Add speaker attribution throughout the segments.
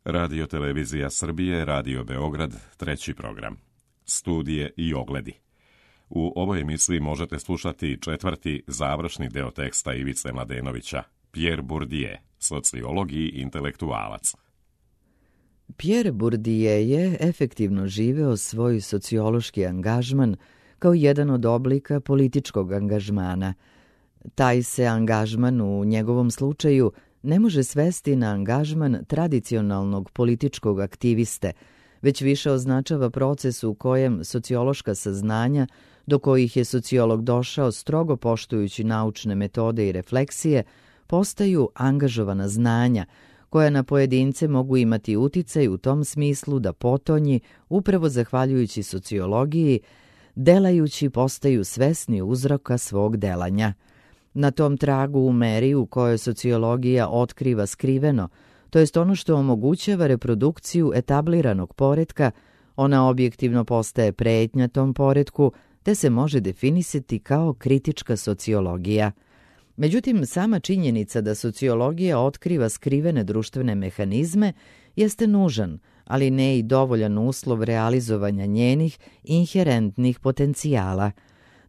Speaker 1: Radio Televizija Srbije, Radio Beograd, treći program. Studije i ogledi. U ovoj emisiji možete slušati četvrti završni deo teksta Ivice Mladenovića, Pierre Bourdieu, sociolog i intelektualac.
Speaker 2: Pierre Bourdieu je efektivno živeo svoj sociološki angažman kao jedan od oblika političkog angažmana. Taj se angažman u njegovom slučaju ne može svesti na angažman tradicionalnog političkog aktiviste, već više označava proces u kojem sociološka saznanja, do kojih je sociolog došao strogo poštujući naučne metode i refleksije, postaju angažovana znanja, koja na pojedince mogu imati uticaj u tom smislu da potonji, upravo zahvaljujući sociologiji, delajući postaju svesni uzroka svog delanja. Na tom tragu u meri u kojoj sociologija otkriva skriveno, to jest ono što omogućava reprodukciju etabliranog poretka, ona objektivno postaje pretnja tom poretku, te se može definisati kao kritička sociologija. Međutim, sama činjenica da sociologija otkriva skrivene društvene mehanizme jeste nužan, ali ne i dovoljan uslov realizovanja njenih inherentnih potencijala.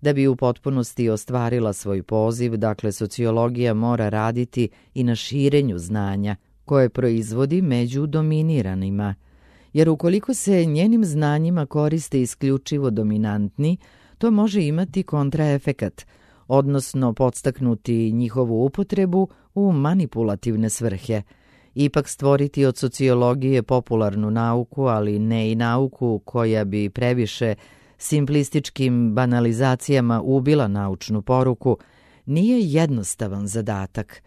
Speaker 2: Da bi u potpunosti ostvarila svoj poziv, dakle, sociologija mora raditi i na širenju znanja, koje proizvodi među dominiranima. Jer ukoliko se njenim znanjima koriste isključivo dominantni, to može imati kontraefekat, odnosno podstaknuti njihovu upotrebu u manipulativne svrhe. Ipak stvoriti od sociologije popularnu nauku, ali ne i nauku koja bi previše simplističkim banalizacijama ubila naučnu poruku, nije jednostavan zadatak,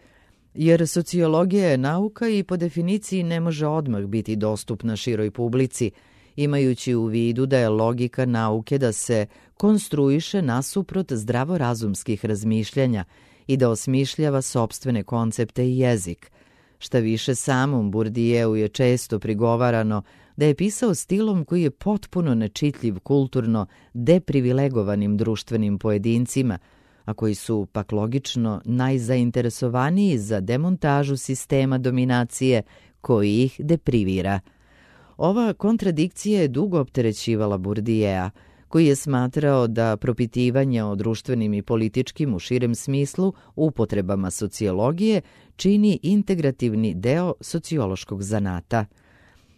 Speaker 2: jer sociologija je nauka i po definiciji ne može odmah biti dostupna široj publici, imajući u vidu da je logika nauke da se konstruiše nasuprot zdravorazumskih razmišljanja i da osmišljava sopstvene koncepte i jezik. Šta više, samom Bourdieu je često prigovarano da je pisao stilom koji je potpuno nečitljiv kulturno deprivilegovanim društvenim pojedincima, a koji su, pak logično, najzainteresovaniji za demontažu sistema dominacije koji ih deprivira. Ova kontradikcija je dugo opterećivala Bourdiea, koji je smatrao da propitivanje o društvenim i političkim u širem smislu upotrebama sociologije čini integrativni deo sociološkog zanata.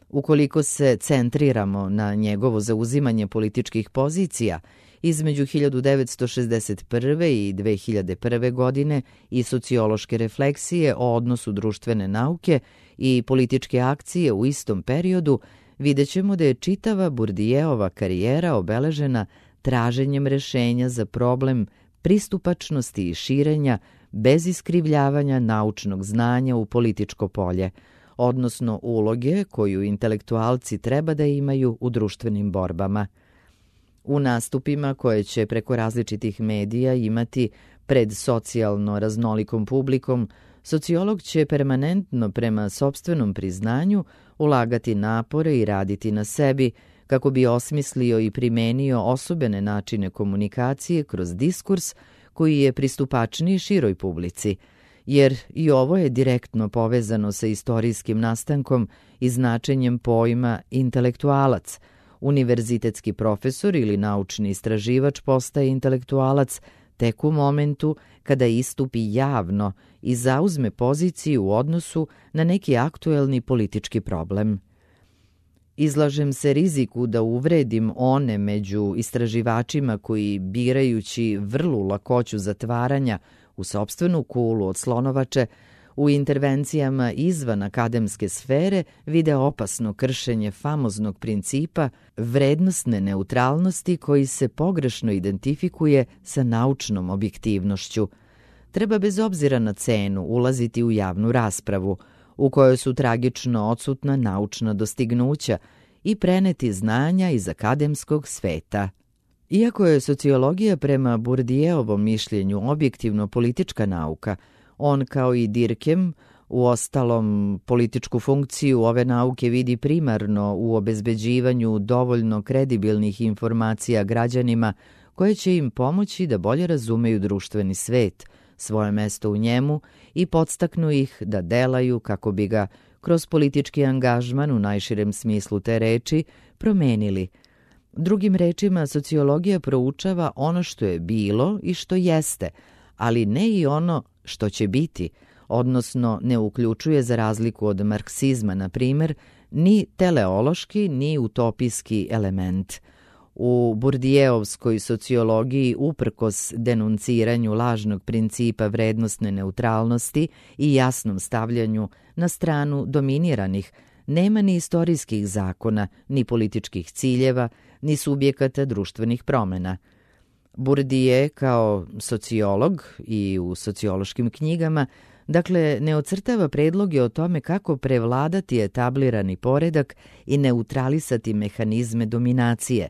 Speaker 2: Ukoliko se centriramo na njegovo zauzimanje političkih pozicija, između 1961. i 2001. godine i sociološke refleksije o odnosu društvene nauke i političke akcije u istom periodu, vidjet ćemo da je čitava Bourdieova karijera obeležena traženjem rešenja za problem pristupačnosti i širenja bez iskrivljavanja naučnog znanja u političko polje, odnosno uloge koju intelektualci treba da imaju u društvenim borbama. U nastupima koje će preko različitih medija imati pred socijalno raznolikom publikom, sociolog će permanentno prema sopstvenom priznanju ulagati napore i raditi na sebi kako bi osmislio i primenio osobene načine komunikacije kroz diskurs koji je pristupačniji široj publici, jer i ovo je direktno povezano sa istorijskim nastankom i značenjem pojma intelektualac. Univerzitetski profesor ili naučni istraživač postaje intelektualac tek u momentu kada istupi javno i zauzme poziciju u odnosu na neki aktuelni politički problem. Izlažem se riziku da uvredim one među istraživačima koji, birajući vrlu lakoću zatvaranja u sopstvenu kulu od slonovače, u intervencijama izvan akademske sfere vide opasno kršenje famoznog principa vrednostne neutralnosti koji se pogrešno identifikuje sa naučnom objektivnošću. Treba bez obzira na cenu ulaziti u javnu raspravu, u kojoj su tragično odsutna naučna dostignuća, i preneti znanja iz akademskog sveta. Iako je sociologija prema Bourdieovom mišljenju objektivno politička nauka, on kao i Durkheim, uostalom, političku funkciju ove nauke vidi primarno u obezbeđivanju dovoljno kredibilnih informacija građanima koje će im pomoći da bolje razumeju društveni svet, svoje mesto u njemu i podstaknu ih da delaju kako bi ga kroz politički angažman u najširem smislu te reči promenili. Drugim rečima, sociologija proučava ono što je bilo i što jeste, ali ne i ono što će biti, odnosno ne uključuje, za razliku od marksizma, na primjer, ni teleološki ni utopijski element. U Bourdieuovskoj sociologiji, uprkos denunciranju lažnog principa vrednostne neutralnosti i jasnom stavljanju na stranu dominiranih, nema ni istorijskih zakona, ni političkih ciljeva, ni subjekata društvenih promjena. Bourdieu kao sociolog i u sociološkim knjigama, dakle, ne ocrtava predloge o tome kako prevladati etablirani poredak i neutralisati mehanizme dominacije.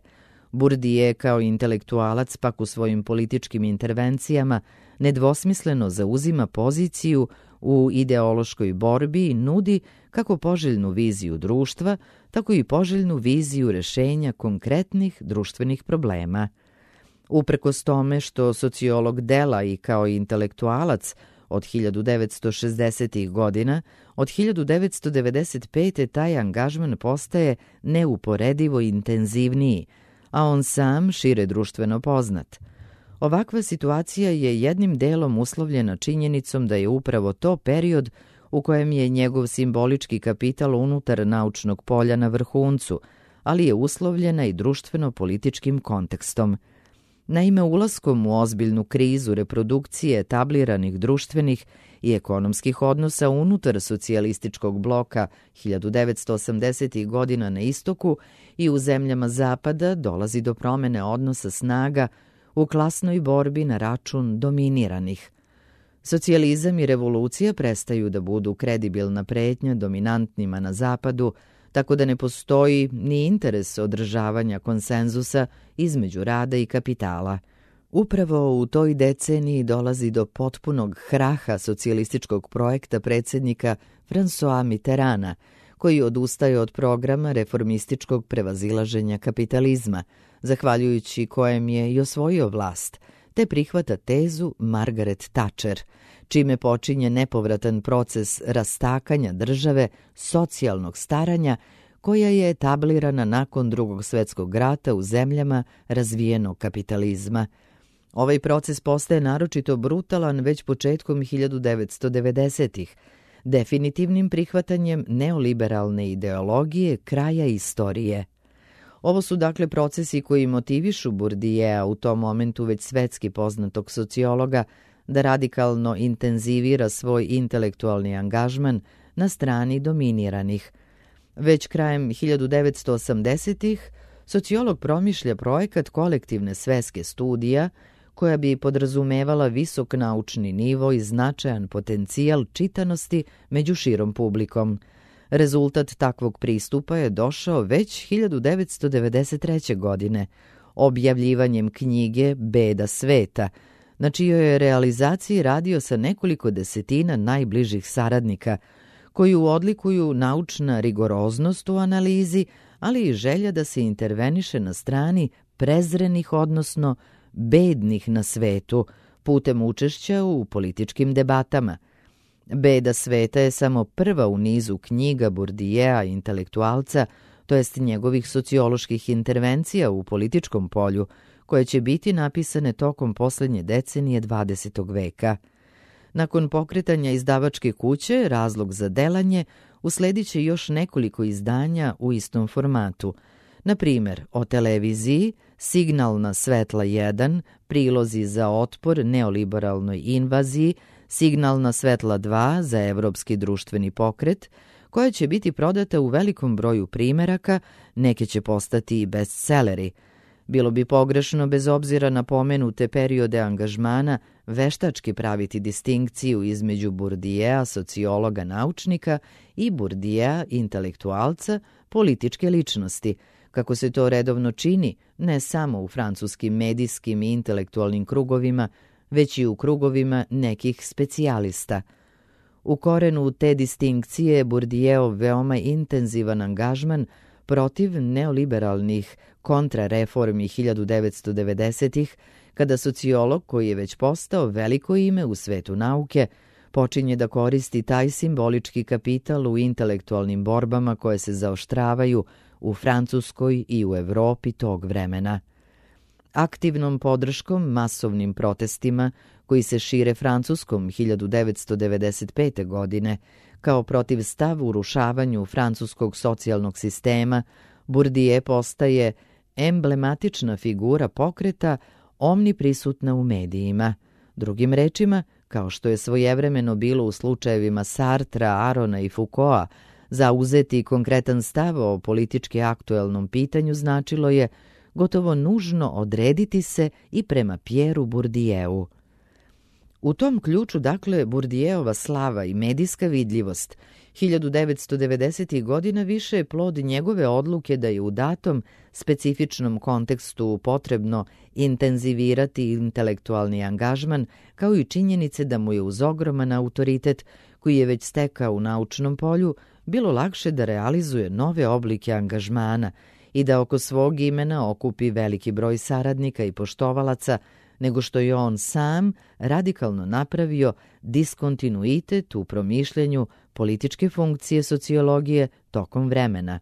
Speaker 2: Bourdieu kao intelektualac pak u svojim političkim intervencijama nedvosmisleno zauzima poziciju u ideološkoj borbi i nudi kako poželjnu viziju društva, tako i poželjnu viziju rešenja konkretnih društvenih problema. Uprkos tome što sociolog dela i kao intelektualac od 1960. godina, od 1995. taj angažman postaje neuporedivo intenzivniji, a on sam šire društveno poznat. Ovakva situacija je jednim delom uslovljena činjenicom da je upravo to period u kojem je njegov simbolički kapital unutar naučnog polja na vrhuncu, ali je uslovljena i društveno-političkim kontekstom. Naime, ulaskom u ozbiljnu krizu reprodukcije etabliranih društvenih i ekonomskih odnosa unutar socijalističkog bloka 1980. godina na istoku i u zemljama zapada dolazi do promene odnosa snaga u klasnoj borbi na račun dominiranih. Socijalizam i revolucija prestaju da budu kredibilna pretnja dominantnima na zapadu, tako da ne postoji ni interes održavanja konsenzusa između rada i kapitala. Upravo u toj deceniji dolazi do potpunog hraha socijalističkog projekta predsjednika François Mitterranda, koji odustaje od programa reformističkog prevazilaženja kapitalizma, zahvaljujući kojem je i osvojio vlast, te prihvata tezu Margaret Thatcher, čime počinje nepovratan proces rastakanja države, socijalnog staranja, koja je etablirana nakon Drugog svjetskog rata u zemljama razvijenog kapitalizma. Ovaj proces postaje naročito brutalan već početkom 1990-ih, definitivnim prihvatanjem neoliberalne ideologije kraja istorije. Ovo su dakle procesi koji motivišu Bourdiea, u tom momentu već svetski poznatog sociologa, da radikalno intenzivira svoj intelektualni angažman na strani dominiranih. Već krajem 1980-ih sociolog promišlja projekat kolektivne sveske studija koja bi podrazumevala visok naučni nivo i značajan potencijal čitanosti među širom publikom. Rezultat takvog pristupa je došao već 1993. godine, objavljivanjem knjige Beda sveta, na čijoj je realizaciji radio sa nekoliko desetina najbližih saradnika, koju odlikuju naučna rigoroznost u analizi, ali i želja da se interveniše na strani prezrenih, odnosno bednih na svetu, putem učešća u političkim debatama. Beda sveta je samo prva u nizu knjiga Bourdiea, intelektualca, to jest njegovih socioloških intervencija u političkom polju, koje će biti napisane tokom posljednje decenije 20. veka. Nakon pokretanja izdavačke kuće, Razlog za delanje, usledit će još nekoliko izdanja u istom formatu. Na primjer, o televiziji, Signalna svetla 1, Prilozi za otpor neoliberalnoj invaziji, Signalna svetla 2 za evropski društveni pokret, koja će biti prodata u velikom broju primeraka, neke će postati i bestseleri. Bilo bi pogrešno, bez obzira na pomenute periode angažmana, veštački praviti distinkciju između Bourdiea, sociologa naučnika, i Bourdiea, intelektualca, političke ličnosti, kako se to redovno čini ne samo u francuskim medijskim i intelektualnim krugovima, već i u krugovima nekih specijalista. U korenu te distinkcije Bourdieov veoma intenzivan angažman protiv neoliberalnih kontrareformi 1990-ih, kada sociolog, koji je već postao veliko ime u svetu nauke, počinje da koristi taj simbolički kapital u intelektualnim borbama koje se zaoštravaju u Francuskoj i u Evropi tog vremena. Aktivnom podrškom masovnim protestima koji se šire Francuskom 1995. godine kao protivstav urušavanju francuskog socijalnog sistema, Bourdieu postaje emblematična figura pokreta omniprisutna u medijima. Drugim rečima, kao što je svojevremeno bilo u slučajevima Sartra, Arona i Foucaulta, zauzeti konkretan stav o politički aktuelnom pitanju značilo je gotovo nužno odrediti se i prema Pierreu Bourdieu. U tom ključu, dakle, Bourdieova slava i medijska vidljivost 1990. godina više je plod njegove odluke da je u datom specifičnom kontekstu potrebno intenzivirati intelektualni angažman, kao i činjenice da mu je uz ogroman autoritet koji je već stekao u naučnom polju bilo lakše da realizuje nove oblike angažmana i da oko svog imena okupi veliki broj saradnika i poštovalaca, nego što je on sam radikalno napravio diskontinuitet u promišljanju političke funkcije sociologije tokom vremena.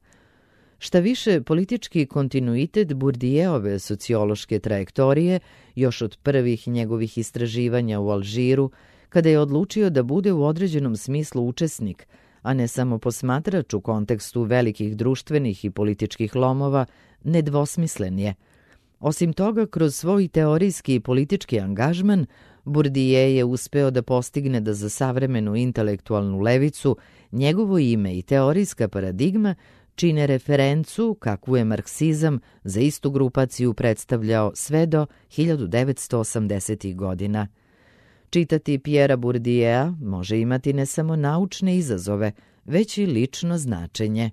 Speaker 2: Šta više, politički kontinuitet Bourdieove sociološke trajektorije još od prvih njegovih istraživanja u Alžiru, kada je odlučio da bude u određenom smislu učesnik, a ne samo posmatrač u kontekstu velikih društvenih i političkih lomova, nedvosmislen je. Osim toga, kroz svoj teorijski i politički angažman, Bourdieu je uspeo da postigne da za savremenu intelektualnu levicu njegovo ime i teorijska paradigma čine referencu kakvu je marksizam za istu grupaciju predstavljao sve do 1980. godina. Čitati Pierrea Bourdieu može imati ne samo naučne izazove, već i lično značenje.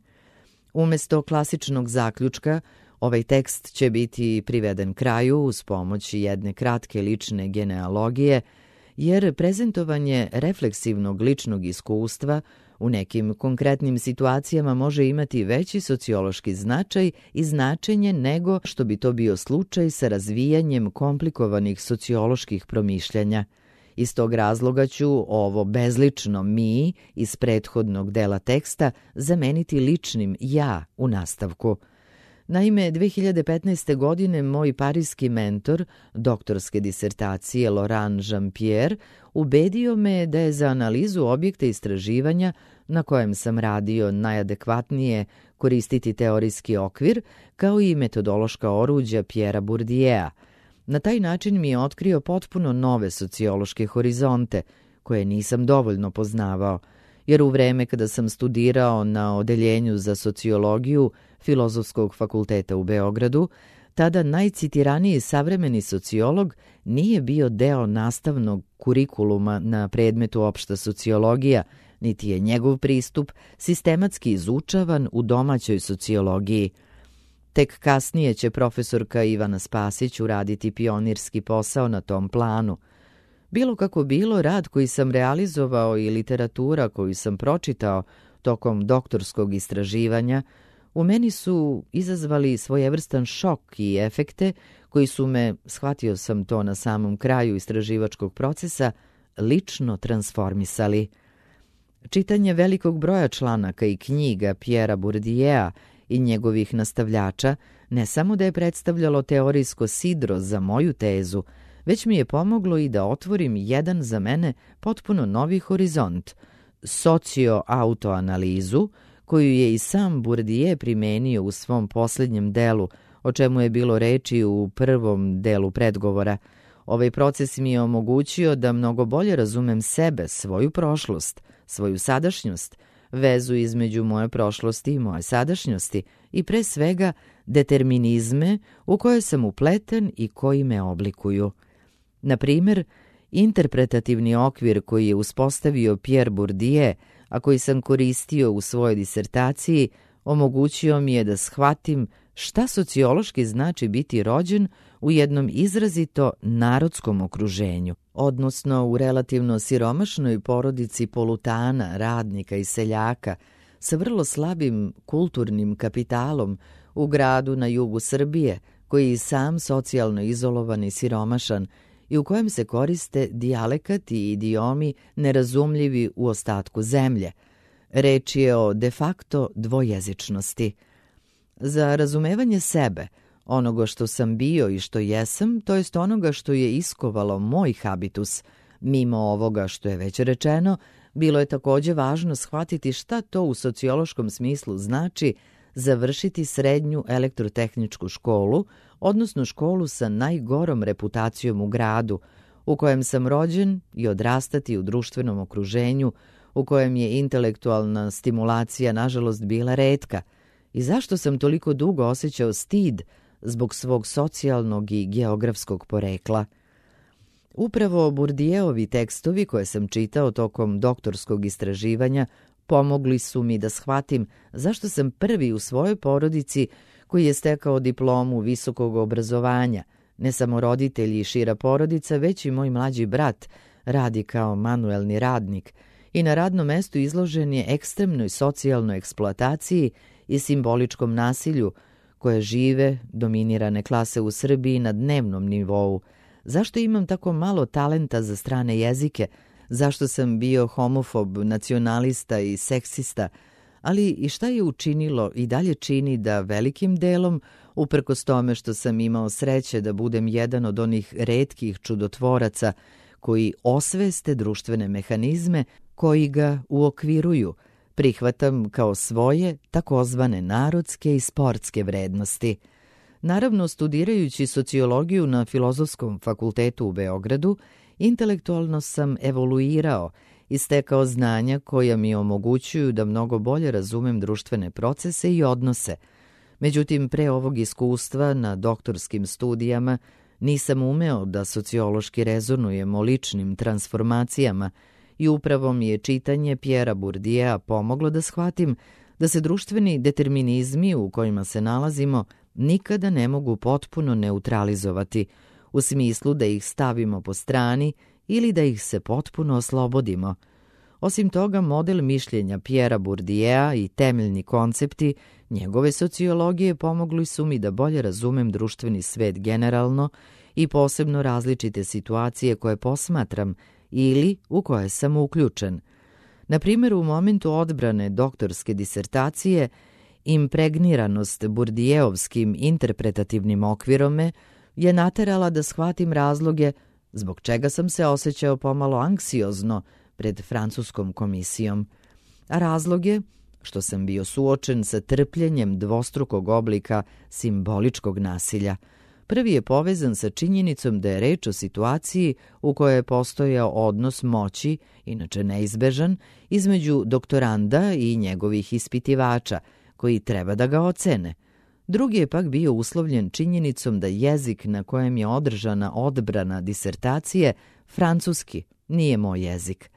Speaker 2: Umesto klasičnog zaključka, ovaj tekst će biti priveden kraju uz pomoć jedne kratke lične genealogije, jer prezentovanje refleksivnog ličnog iskustva u nekim konkretnim situacijama može imati veći sociološki značaj i značenje nego što bi to bio slučaj sa razvijanjem komplikovanih socioloških promišljanja. Iz tog razloga ću ovo bezlično mi iz prethodnog dela teksta zameniti ličnim ja u nastavku. Naime, 2015. godine moj parijski mentor doktorske disertacije Laurent Jean-Pierre ubedio me da je za analizu objekta istraživanja na kojem sam radio najadekvatnije koristiti teorijski okvir kao i metodološka oruđa Pierrea Bourdieu. Na taj način mi je otkrio potpuno nove sociološke horizonte koje nisam dovoljno poznavao, jer u vreme kada sam studirao na odeljenju za sociologiju Filozofskog fakulteta u Beogradu, tada najcitiraniji savremeni sociolog nije bio deo nastavnog kurikuluma na predmetu opšta sociologija, niti je njegov pristup sistematski izučavan u domaćoj sociologiji. Tek kasnije će profesorka Ivana Spasić uraditi pionirski posao na tom planu. Bilo kako bilo, rad koji sam realizovao i literatura koju sam pročitao tokom doktorskog istraživanja u meni su izazvali svojevrstan šok i efekte koji su me, shvatio sam to na samom kraju istraživačkog procesa, lično transformisali. Čitanje velikog broja članaka i knjiga Pierrea Bourdieu i njegovih nastavljača ne samo da je predstavljalo teorijsko sidro za moju tezu, već mi je pomoglo i da otvorim jedan za mene potpuno novi horizont, socio-autoanalizu, koju je i sam Bourdieu primenio u svom posljednjem delu, o čemu je bilo reči u prvom delu predgovora. Ovaj proces mi je omogućio da mnogo bolje razumem sebe, svoju prošlost, svoju sadašnjost, vezu između moje prošlosti i moje sadašnjosti i pre svega determinizme u koje sam upleten i koji me oblikuju. Na primjer, interpretativni okvir koji je uspostavio Pierre Bourdieu, a koji sam koristio u svojoj disertaciji, omogućio mi je da shvatim šta sociološki znači biti rođen u jednom izrazito narodskom okruženju, odnosno u relativno siromašnoj porodici polutana, radnika i seljaka, sa vrlo slabim kulturnim kapitalom u gradu na jugu Srbije, koji je sam socijalno izolovan i siromašan i u kojem se koriste dijalekat i idiomi nerazumljivi u ostatku zemlje. Reč je o de facto dvojezičnosti. Za razumevanje sebe, onoga što sam bio i što jesam, to jest onoga što je iskovalo moj habitus, mimo ovoga što je već rečeno, bilo je takođe važno shvatiti šta to u sociološkom smislu znači završiti srednju elektrotehničku školu, odnosno školu sa najgorom reputacijom u gradu, u kojem sam rođen, i odrastati u društvenom okruženju u kojem je intelektualna stimulacija nažalost bila retka, i zašto sam toliko dugo osjećao stid zbog svog socijalnog i geografskog porekla. Upravo Bourdieuovi tekstovi koje sam čitao tokom doktorskog istraživanja pomogli su mi da shvatim zašto sam prvi u svojoj porodici koji je stekao diplomu visokog obrazovanja. Ne samo roditelji i šira porodica, već i moj mlađi brat radi kao manuelni radnik i na radnom mestu izložen je ekstremnoj socijalnoj eksploataciji i simboličkom nasilju koje žive dominirane klase u Srbiji na dnevnom nivou. Zašto imam tako malo talenta za strane jezike? Zašto sam bio homofob, nacionalista i seksista? Ali i šta je učinilo i dalje čini da velikim delom, uprkos tome što sam imao sreće da budem jedan od onih retkih čudotvoraca koji osveste društvene mehanizme koji ga uokviruju, prihvatam kao svoje takozvane narodske i sportske vrednosti. Naravno, studirajući sociologiju na Filozofskom fakultetu u Beogradu, intelektualno sam evoluirao i stekao znanja koja mi omogućuju da mnogo bolje razumem društvene procese i odnose. Međutim, pre ovog iskustva na doktorskim studijama nisam umeo da sociološki rezonujem o ličnim transformacijama i upravo mi je čitanje Pierrea Bourdieu'a pomoglo da shvatim da se društveni determinizmi u kojima se nalazimo nikada ne mogu potpuno neutralizovati, u smislu da ih stavimo po strani ili da ih se potpuno oslobodimo. Osim toga, model mišljenja Pierrea Bourdieu'a i temeljni koncepti njegove sociologije pomogli su mi da bolje razumem društveni svet generalno i posebno različite situacije koje posmatram ili u koje sam uključen. Na primjer, u momentu odbrane doktorske disertacije, impregniranost Bourdieuovskim interpretativnim okvirom me je naterala da shvatim razloge zbog čega sam se osjećao pomalo anksiozno pred francuskom komisijom. A razlog je što sam bio suočen sa trpljenjem dvostrukog oblika simboličkog nasilja. Prvi je povezan sa činjenicom da je reč o situaciji u kojoj je postojao odnos moći, inače neizbežan, između doktoranda i njegovih ispitivača, koji treba da ga ocene. Drugi je pak bio uslovljen činjenicom da jezik na kojem je održana odbrana disertacije, francuski, nije moj jezik.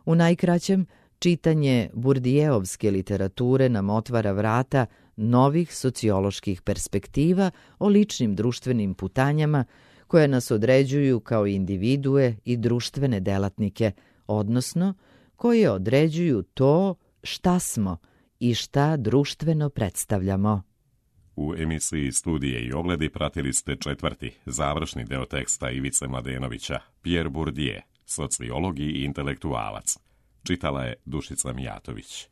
Speaker 2: U najkraćem, čitanje Bourdieuovske literature nam otvara vrata novih socioloških perspektiva o ličnim društvenim putanjama koje nas određuju kao individue i društvene delatnike, odnosno koje određuju to šta smo i šta društveno predstavljamo.
Speaker 1: U emisiji Studije i ogledi pratili ste četvrti, završni deo teksta Ivice Mladenovića, Pierre Bourdieu, sociolog i intelektualac. Čitala je Dušica Mijatović.